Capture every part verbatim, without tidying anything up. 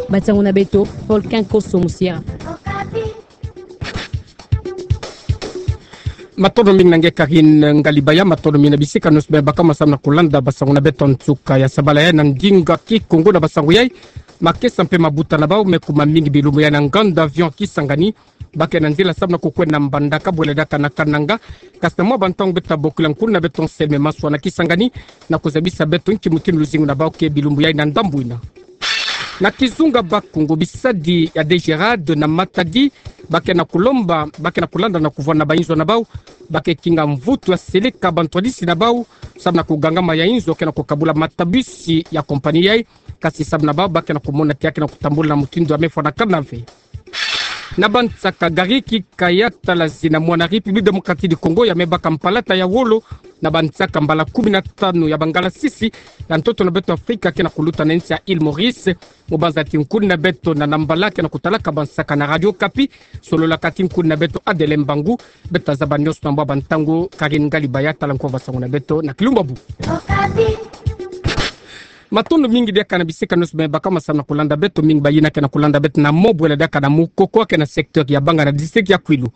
Basango na beto, Volcan Koso Musia. Matondo mingi na nge Karine Ngalibaya, matondo mingi na bisika nyonso bê baka ma samu na kulanda basango na beto nsuka ya sabala ya. Na ndinga Kikongo na basango yai, makesa mpe mabuta na bau me kuma mingi bilumbu yai na nganda avion Kisangani, bakena nzila samu na kukwenda na Mbandaka bwela diaka na Kananga. Kasi na mwa bantangu beta bokila nkuna beto Anselme Maswa na Kisangani, na kuzabisa beto nki mutindu luzingu na bau ke bilumbu yai na ndambu ina. Na kizunga Bakongo, bisadi ya DGRAD na Matadi bakena kulomba, bakena kulanda na kuvwanda bainzo na bau, bake kinga mvutu ya seleka bantwadisi na bau, samu na kugangama ya inzo kena kukabula matabisi ya kompani yai, kasi samu na bau bakena kumona ti akena kutambula na mutindu ya mefwa na kanave. Na bansaka, gari kika ya talazi na mwana République Démocratique du Congo ya mebaka mpalata ya wolo na bansaka mbala kumi na tanu ya bangalasisi ya ntoto na beto Afrika kena kuluta na nsi ya Île Maurice. Mubanza ti nkuna beto Nana Mbala kena kutalaka bansaka na Radio Okapi, sololaka ti nkuna beto Adeline Mbangu. Beta zaba nyonso na mwa bantangu. Karine Ngalibaya tala nko basango na beto na kilumbu bu. Matondo mingi diaka na bisika nyonso bê baka ma samu na kulanda beto, mingi bayina kena kulanda beto na mo bwela diaka na mokoko kena secteur ya Banga na district ya Kwilu.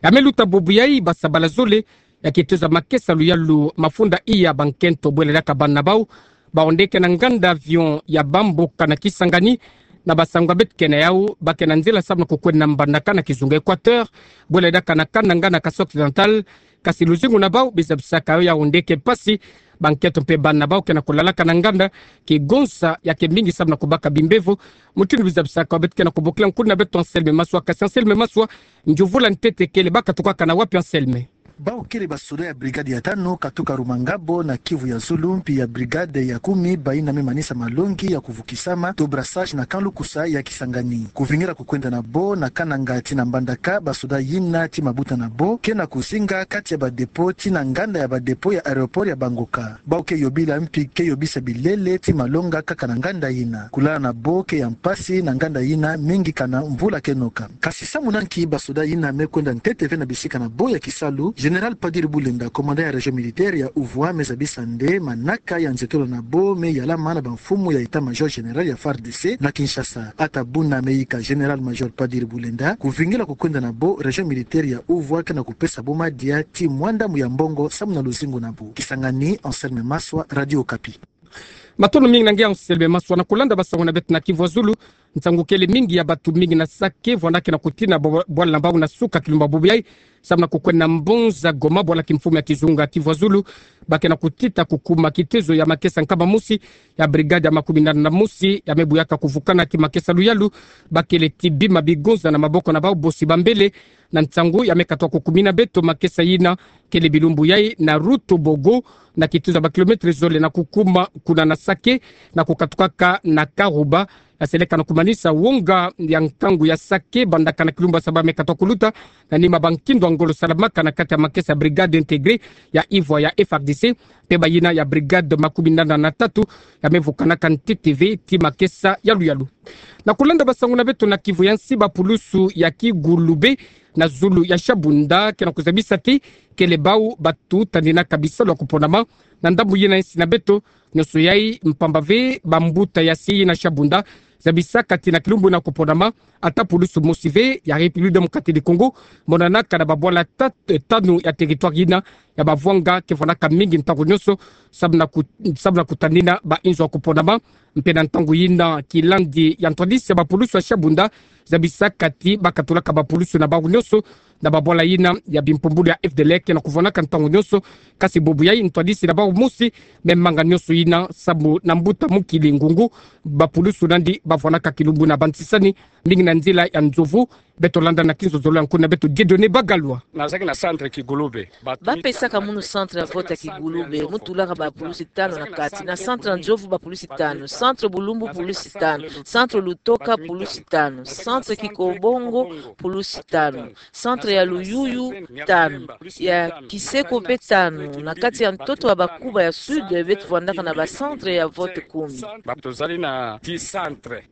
Ya meluta bubu yai, basabala zole ya kituza makesa luyalu mafunda iya bankento bwela diaka bana na bau, baonde kena nganda avion ya Bamboka na Kisangani, na basango beto kena yau, bakena nzila samu na kukwenda na Mbandaka na kizunga Équateur bwela diaka na Kananga na Kasaï Occidental. Kasi luzingu na bau bizabisaka yo ya onde ke mpasi, bankento mpe bana na bau kena kulalaka na nganda, kigonza ya ke mingi samu na kubaka bimbevo. Mutindu bizabisaka yo beto kena kubokila nkuna beto Anselme Maswa. Kasi Anselme Maswa, nzovula ntete kele, bakatukaka na wapi Anselme? Bau kele basoda ya brigade ya tanu katuka Rumangabo na Kivu ya Zulu, mpi ya brigade ya kumi, bayina me manisa malongi ya kuvukisama to brassage na camp Lukusa ya Kisangani. Kuvingila kukwenda na bo na Kananga tii na Mbandaka, basoda yina tii mabuta na bo kena kuzinga kati ya ba dépôt tii na nganda ya ba dépôt ya aéroport ya Bangoka. Bau ke yobila mpi ke yobisa bilele tii malongi kaka na nganda yina. Kulala na bo ke ya mpasi na nganda yina, mingi kana mvula ke noka. Kasi samu na nki basoda yina me kwenda ntete ve na bisika na bo ya kisalu? Général Padiri Bulenda, commandant ya région militaire ya Uvwa, me zabisa nde manaka ya nzietolo na bo me yalama na bamfumu ya état-major général ya FARDC na Kinshasa. Ata buna me yika Général-major Padiri Bulenda, kuvingila kukwenda na bo région militaire ya Uvwa kena kupesa bo madia tii mwa ndambu ya mbongo samu na luzingu na bo. Kisangani, Anselme Maswa, Radio Okapi. Matondo mingi na nge Anselme Maswa. Na kulanda basango na beto na Kivu ya Zulu, nsangu kele mingi ya bantu mingi na Sake vwanda kena kutina bwa-, bwala na bau na suka kilumbu bubu yai, samu na kukwenda na mbanza Goma, bwala kimfumu ya kizunga Kivu ya Zulu, bakena kutita kukuma kitezo ya makesa nkama mosi ya brigade ya makumina na mosi ya mebuyaka kuvukana ti makesa luyalu, bakele ti bima bigonza na maboko na bau bosi bambele. Na nsangu ya mekatwa kukumina beto, makesa yina kele bilumbu yai na Rutobogo, na kituza ba kilomètre zole na kukuma kuna na Sake, na kukatukaka na Karuba, ya seleka na kumanisa wonga ya nkangu ya Sake, bandaka na kilumbu ya saba mekatwa kuluta, na nima ba nkindo ya ngolo salamaka na kati ya makesa ya brigade intégrée ya Uvwa ya FARDC, mpe bayina ya brigade makumina na tatu ya mevukanaka ntete ve ti makesa yaluyalu. Na kulanda basango na beto na Kivu ya Nsi, bapulusu ya Kigulube na zulu ya Shabunda kena kuzabisa ti kele bau batutanina ka bisalu ya kuponama na ndambu yina nsi na beto. Nyonso yai mpamba ve bambuta ya nsi yina Shabunda zabisaka ti na kilumbu yina kuponama, ata pulusu mosi ve ya République Démocratique du Congo monanaka na babwala ta-, tanu ya territoire yina ya bavwanga ke vwanaka mingi ntangu nyonso samu na ku-, samu na kutanina bainzo ya kuponama. Mpe na ntangu yina, kilandi ya ntwadisi ya bapulusu ya Shabunda zabisaka ti bakatulaka bapulusu na bau nyonso na babwala yina ya bimpumbulu ya FDLR kena kuvwanaka ntangu nyonso. Kasi bubu yai ntwadisi na bau mosi me manga nyonso yina samu na mbuta mokili ngungu bapulusu nandi bavwanaka kilumbu na bantisani, mingi na nzila ya nzovu. Beto landa na kinzozolo ya nkuna beto Dieudonné Bagalwa. Nazalaki na centre Kigulube. Bapesaka munu centre ya vote ya Kigulube, mu tulaka bapulusu tanu na kati. Na centre ya Nzovu bapulusu tanu, centre Bulumbu pulusu tanu, centre Lutoka pulusu tanu, centre Kikobongo pulusu tanu, centre ya Luyuyu tanu, ya Kiseko mpe tanu. Na kati ya ntoto ya Bakuba ya Sud, beto vwandaka na ba centre ya vote kumi. Tozali na dix centres.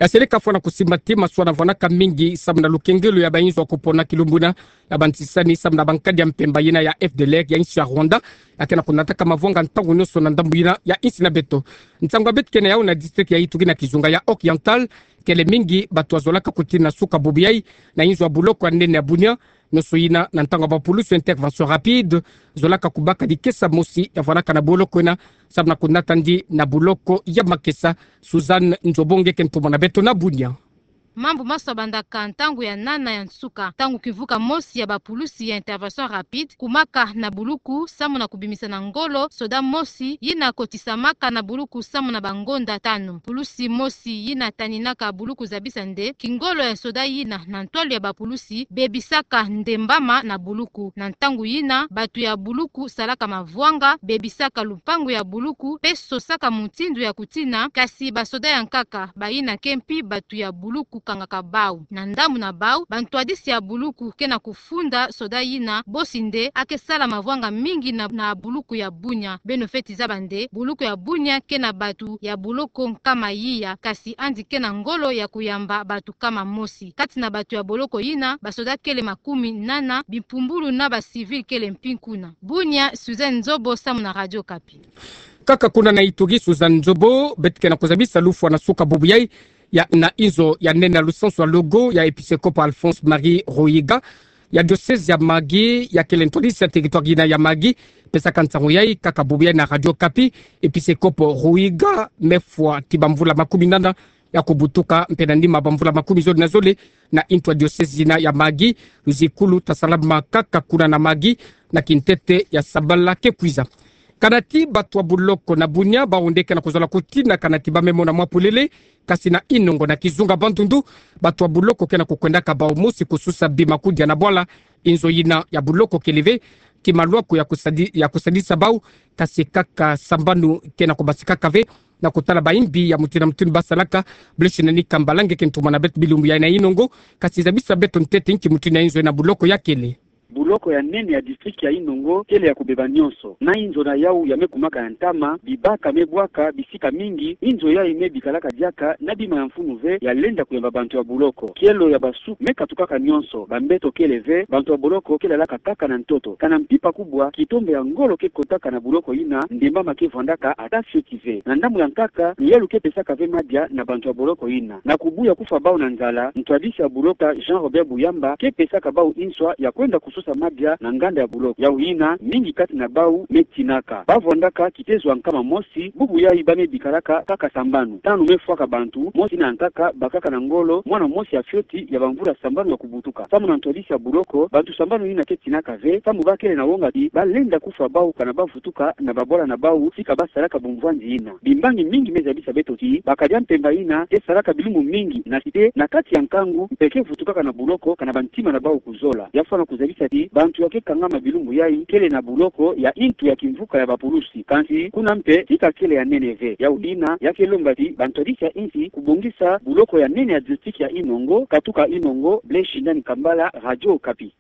Ya seleka fwana kusimba ti masuana fwanaka mingi samu na lukengelo ya bainzo ya kupona kilumbu na ya bantisani samu na bankadi ya mpemba yina ya F D L R ya insi ya Rwanda, ya ke na kunataka mavwanga ntangu nionso na ndambu yina ya insi na beto. Nsangu ya beto kena yau na district ya Ituri na kizunga ya Oriental, kele mingi batu bazolaka kutina suka bubu yai na inzo ya buloko ya nene ya Bunia, nionso yina na ntangu ya bapulusu intervention rapide zolaka kubaka dikesa mosi ya fwanaka na boloko yina, samu na kunata ndi na buloko ya makesa. Suzanne Nzobonge ke ntomo na beto na Bunia. Mambu maso mabandaka ntangu ya nana ya nsuka, ntangu kimvuka mosi ya bapulusi ya intervention rapide kumaka na buluku samu na kubimisa na ngolo soda mosi yina kotisamaka na buluku samu na bangonda tanu. Pulusi mosi yina taninaka buluku zabisa nde kingolo ya soda yina na ntwalu ya bapulusi bebisaka ndembama na buluku. Na ntangu yina batu ya buluku salaka mavwanga, bebisaka lupangu ya buluku pe sosaka mutindu ya kutina, kasi basoda ya nkaka bayina ke mpi batu ya buluku kangaka bau. Na ndambu na bau, bantwadisi ya buluku ke na kufunda soda yina bosi nde ake sala mavwanga mingi na, na buluku ya Bunia. Beno fweti zaba nde buluku ya Bunia ke na batu ya boloko nkama iya, kasi yandi ke na ngolo ya kuyamba batu nkama mosi. Kati na batu ya boloko yina, basoda kele makumi nana, bimpumbulu na bacivil kele mpi kuna. Bunia, Suzanne Nzobo samu na Radio Okapi. Kaka kuna na Ituri, Suzanne Nzobo, beto ke na kuzabisa lufwa na suka bubu yai ya na inzo ya nene ya lusansu ya logo ya episekopo Alphonse Marie Ruhiga ya diocèse ya Mahagi, ya kele ntwadisi ya territoire yina ya Mahagi, pesaka nsangu yai kaka bubu yai na Radio Okapi. Episekopo Ruhiga me fwa ti bamvula makumi nana ya kubutuka mpe na nima bamvula makumi zole na zole na ntu ya diocèse yina ya Mahagi, luzikulu tasalama kaka kuna na Mahagi na kintete ya sabala ke kwiza. Kana ti batu ya boloko na Bunia, bau nde ke na kuzola kutina kana ti ba me mona mwa polele, kasi na Inongo na kizunga Bandundu, batu ya boloko ke na kukwendaka bau mosi kususa bima kudia na bwala. Inzo yina ya boloko kele ve ti malwaku ya kusadi-, ya kusadisa bau, kasi kaka sambanu ke na kubasikaka ve na kutala baimbi ya mutindu na mutindu basalaka. Blaise Nani Kambala nge ke ntomo na beto bilumbu yai na Inongo, kasi zabisa beto ntete nki mutindu ya inzo yina boloko ya kele. Boloko ya nene ya district ya Inongo kele ya kubeba nionso. Na inzo na yau ya me kumaka ya ntama, bibaka me bwaka bisika mingi, inzo yai me bikalaka diaka na bima ya mfunu ve ya lenda kuyamba bantu ya boloko. Kielo ya basuku me katukaka nionso, bambeto kele ve, bantu ya boloko ke lalaka kaka na ntoto. Kana mpimpa kubwa, kitombe ya ngolo ke kotaka na boloko yina, ndembama ke vwandaka ata fioti ve. Na ndambu ya nkaka, luyalu ke pesaka ve madia na bantu ya boloko yina. Na kubuya kufwa bau na nzala, ntwadisi ya boloko Jean Robert Buyamba ke pesaka bau inswa ya kwenda kususa madia na nganda ya boloko. Yau yina, mingi kati na bau me tinaka. Ba vwandaka kitezo ya nkama mosi, bubu yai ba me bikalaka kaka sambanu. Tanu me fwaka bantu, mosi na nkaka bakaka na ngolo, mwana mosi ya fioti ya bamvula sambanu ya kubutuka. Samu na ntwadisi ya boloko, bantu sambanu yina ke tinaka ve, samu ba kele na wonga ti ba lenda kufwa bau kana ba vutuka na babwala na bau, tika ba salaka bumvwandi yina. Bimbangi mingi me zabisa beto ti bakadia mpemba yina ke salaka bilumbu mingi na site na kati ya nkangu, mpe ke vutukaka na boloko kana bantima na bau kuzola. Ya fwana kuzabisa ti bantu ya ke kangama bilumbu yai kele na boloko ya ntu ya kimvuka ya bapulusi. Kansi kuna mpe tika kele ya nene ve. Yau yina ya ke lomba ti bantwadisi ya insi kubongisa boloko ya nene ya district ya Inongo. Katuka Inongo, Blaise Nani Kambala, Radio Okapi.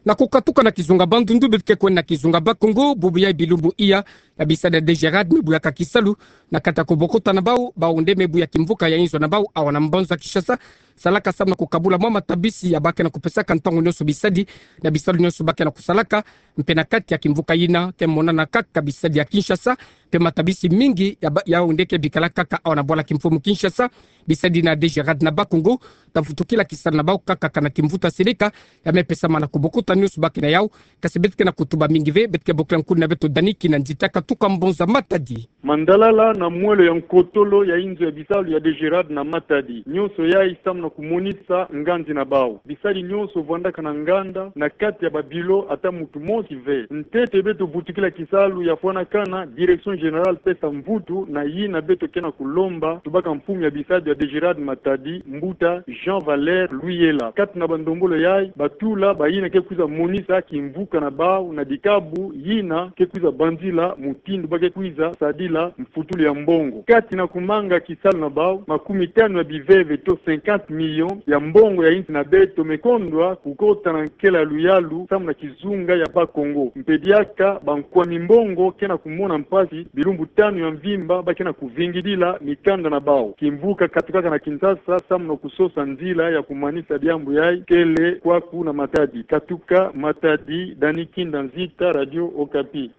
Na kukatuka na kizunga Bandundu, beto ke kwenda na kizunga Bas-Congo, bubu yai bilumbu iya ya bisadi ya DGRAD me buyaka kisalu na kati ya kubokota na bau, bau nde me buya kimvuka ya inzo na bau awa na mbanza Kinshasa, salaka samu na kukabula mwa matabisi ya ba ke na kupesaka ntangu nionso bisadi na bisalu nionso ba ke na kusalaka. Mpe na kati ya kimvuka yina ke monana kaka bisadi ya Kinshasa, mpe matabisi mingi ya ba-, yau nde ke bikala kaka awa na bwala kimfumu Kinshasa. Bisadi na DGRAD na Bas-Congo ta vutukila kisalu na bau kaka kana kimvuta seleka ya me pesama na kubokota nionso ba ke na yau. Kasi beto ke na kutuba mingi ve, beto ke bokila nkuna na beto Dani Kinanzita katuka mbanza Matadi. Mandalala na mwelo ya nkotolo ya inzo ya bisalu ya DGRAD na Matadi. Nionso yai samu na kumonisa ngandi na bau. Bisadi nionso vwandaka na nganda na kati ya babilo, ata muntu mosi ve. Ntete beto vutukila kisalu ya fwanakana, direction générale pesa mvutu na yina beto ke na kulomba tubaka mfumu ya bisadi ya DGRAD Matadi, mbuta Jean Valère Luyela. Kati na bandombolo yai, batula bayina ke kwiza monisa kimvuka na bau na dikabu yina ke kwiza banzila mu mutindu ba ke kwiza sadila mfutulu ya mbongo. Kati na kumanga kisalu na bau, makumi tanu ya biveve to cinquante millions ya mbongo ya insi na beto me kondwa kukota na nkela luyalu samu na kizunga ya Bas-Congo. Mpe diaka bankwami mbongo ke na kumona mpasi bilumbu tanu ya mvimba ba ke na kuvingidila mikanda na bau. Kimvuka katukaka na Kinshasa samu na kusosa nzila ya kumanisa diambu yayi kele kwaku na Matadi. Katuka Matadi, Dani Kinda Nzita, Radio Okapi.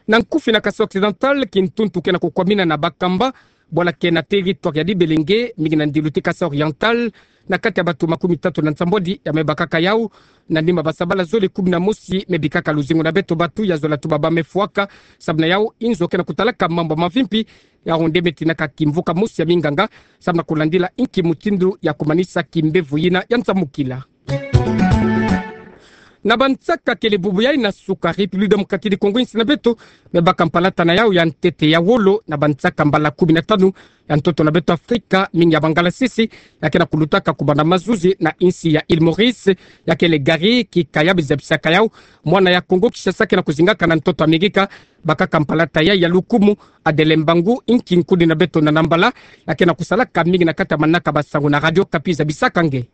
Na nkufi na Kasaï Occidental, kintuntu ke na kukwamina na bakamba bwala ke na territoire ya Dibelenge, mingi na ndilu ti Kasaï Oriental, na kati ya bantu makumi tatu na nsambwadi ya me bakaka yau, na nima basabala zole kumi na mosi me bikaka luzingu na beto. Bantu ya zola tubaba me fwaka, samu na yau inzo ke na kutalaka mambu mavimpi, yau nde me tinaka kimvuka mosi ya minganga samu na kulandila inki mutindu ya kumanisa kimbevo yina ya nsamukila. Na bansaka kele bubu yayi na suka, République démocratique du Congo, insi na beto me baka mpalata na yau ya ntete ya wolo na bansaka mbala kumi na tanu ya ntoto na beto Afrika, mingi ya bangalasisi, ya ke na kulutaka kubanda mazuzi na insi ya Île Maurice, ya kele Garry Kikaya, bizabisaka yau mwana ya Congo Kinshasa ke na kuzingaka na ntoto Amerika. Bakaka mpalata yayi ya lukumu, Adèle Mbangu, inki nkudi na beto na Nambala, ya ke na kusalaka mingi na kati ya manaka basangu na Radio Okapi, zabisaka nge.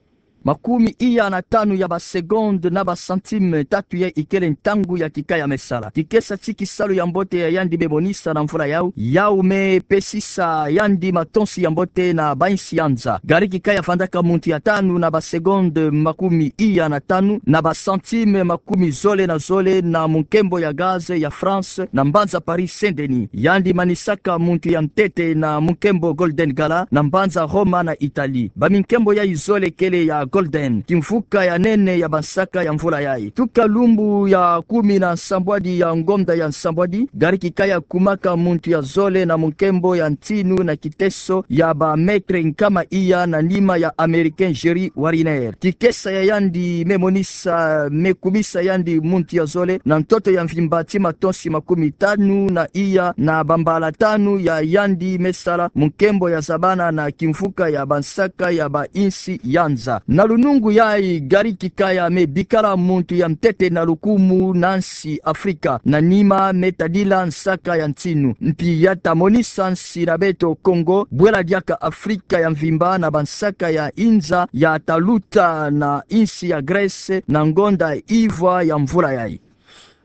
Makumi iya na tanu ya basegonde na bacentime tatu yayi ikele ntangu ya Kikaya me sala. Kikesa ti kisalu ya mbote ya yandi me monisa na mvula yau, yau me pesisa yandi matonsi ya mbote na bainsi ya nza. Garry Kikaya vandaka muntu ya tanu na basegonde makumi iya na tanu na bacentime makumi zole na zole na munkembo ya Gaz ya France na mbanza Paris Saint-Denis. Yandi manisaka muntu ya ntete na munkembo Golden Gala na mbanza Roma na Italie. Baminkembo yayi zole kele ya Golden, kimvuka ya nene ya bansaka ya mvula yayi. Tuka lumbu ya kumi na nsambwadi ya ngonda ya nsambwadi, Garry Kikaya kumaka muntu ya zole na munkembo ya ntinu na kiteso ya ba mètre nkama iya na nima ya Américain Jerry Wariner. Kikesa ya yandi me monisa, me kumisa yandi muntu ya zole na ntoto ya mvimba ti matonsi makumi tanu na iya na bambala tanu ya yandi me sala munkembo ya zabana na kimvuka ya bansaka ya bainsi ya nza. Na lunungu yayi, Garry Kikaya me bikala muntu ya ntete na lukumu na nsi Afrika, na nima me tadila nsaka ya ntinu. Mpi ya ta monisa nsi na beto Congo bwela diaka Afrika ya mvimba na bansaka ya inza ya ta luta na insi ya Grèce na ngonda ivwa ya mvula yayi.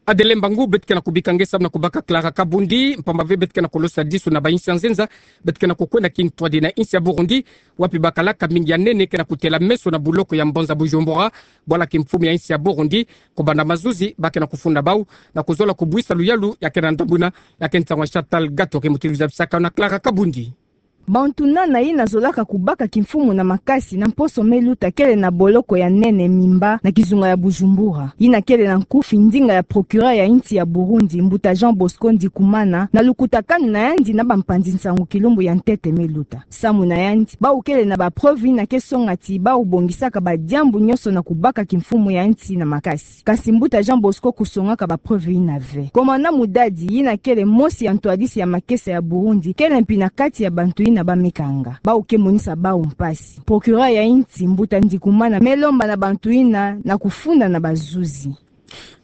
Adèle Mbangu, beto ke na kubika nge samu na kubaka Clara Kabundi, mpamba ve beto ke na kolosa disu na bainsi ya nzenza, beto ke na kukwenda kintwadi na insi ya Burundi, wapi bakalaka mingi ya nene ke na kutela meso na buloko ya mbanza Bujumbura, bwala kimfumu ya insi ya Burundi, kubanda mazuzi ba ke na kufunda bau, na kuzola kubwisa luyalu ya ke na ndambu yina, ya ke nsangu ya Chantal Gato ke mutilwiza bisaka na Clara Kabundi. Bantu nana yina zolaka kubaka kimfumu na makasi na mposo me luta kele na boloko ya nene Mimba na kizunga ya Bujumbura. Yina kele na nkufi ndinga ya procureur ya insi ya Burundi, mbuta Jean Bosco Ndikumana, na lukutakanu na yandi na bampanzi nsangu kilumbu ya ntete me luta. Samu na yandi, bau kele na ba preuve yina ke songa ti bau bongisaka badiambu nyonso na kubaka kimfumu ya insi na makasi. Kasi mbuta Jean Bosco kusongaka ba preuve yina ve. Commandant Mudadi, yina kele mosi ya ntwadisi ya makesa ya Burundi, kele mpi na kati ya bantu yina ba me kanga. Bau ke monisa bau mpasi. Procureur ya insi, mbuta Ndikumana, me lomba na bantu yina na kufunda na bazuzi.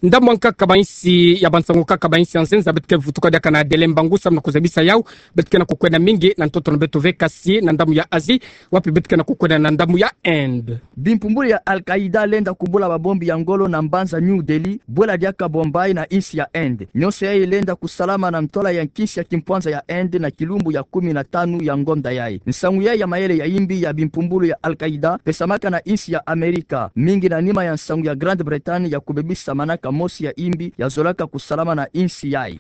Ndambu ya nkaka bainsi, ya bansangu nkaka bainsi ya nzenza, beto ke vutuka diaka na Adèle Mbangu samu na kuzabisa yau, beto ke na kukwenda mingi na ntoto na beto ve, kasi na ndambu ya Asie, wapi beto ke na kukwenda na ndambu ya Inde. Bimpumbulu ya Al-Qaïda lenda kubula babombi ya ngolo na mbanza New Delhi, bwela diaka Bombay na insi ya Inde. Nyonso yayi lenda kusalama na ntola ya nkinsi ya kimpwanza ya Inde na kilumbu ya kumi na tanu ya ngonda yayi. Nsangu yayi ya mayele ya yimbi ya bimpumbulu ya Al-Qaïda pesamaka na insi ya Amerika, mingi na nima ya nsangu ya Grande-Bretagne ya kubebisa manaka mosi ya yimbi ya zolaka kusalama na insi yayi.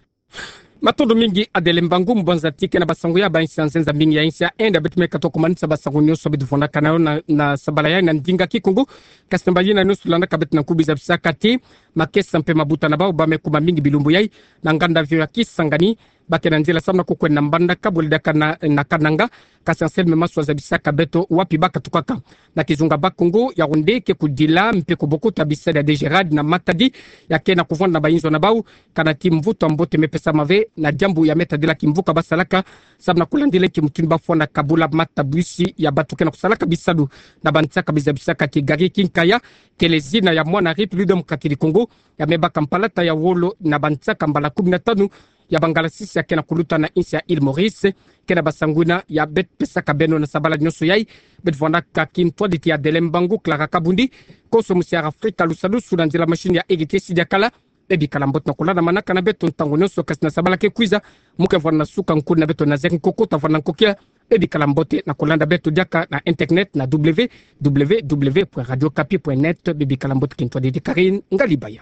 Matondo mingi Adèle Mbangu, mbanza ti ke na basangu ya bainsi ya nzenza, mingi ya insi ya Inde beto me katuka kumanisa basangu nyonso beto vundaka na yo na, na sabala yayi na ndinga Kikongo. Kasi mba yina nyonso landaka beto na nkubi zabisaka ti makesa mpe mabuta na bau ba me kuma mingi bilumbu yayi na nganda avion ya Kisangani, ba ke na nzila samu na kukwenda na mbandaka bwela diaka na, na Kananga. Kasi Anselme Maswa zabisaka beto wapi ba katukaka. Na kizunga Bas-Congo, Yaoundé ke kudila mpe kubokuta bise ya DGRAD na Matadi, ya ke na kuvwanda na bainzo na bau, kana ti mvutu ya mbote me pesama ve na diambu ya me tadila kimvuka ba salaka, samu na kulandila inki mutindu ba fwana kabula matabisi ya bantu ke na kusalaka bisalu na bansaka. Bizabisaka ti Garry Kinkaya, kele zina ya mwana République démocratique du Congo, ya me baka mpalata ya wolo na bansaka mbala kumi na tanu ya bangalasisia ke na kuluta na insi ya Île Maurice. Ke na basanguina ya beto pesaka beno na sabala nyonso yai, beto vwanaka kintwaditi ya Dele Mbangu Clara Kabundi, konso musiara Afrika lusalusu na nzila machine ya Egete Sidiakala. Bebikala mbote na kolanda manaka na beto ntangu nyonso kasi na sabala ke kwiza. Mo ke vwana suka nkuni na beto na zeki nkoko ta vwana nkokia. Bebikala mbote na kolanda beto diaka na internet na www point radiokapi point net. Bebikala mbote, kintwaditi Karine Ngalibaya.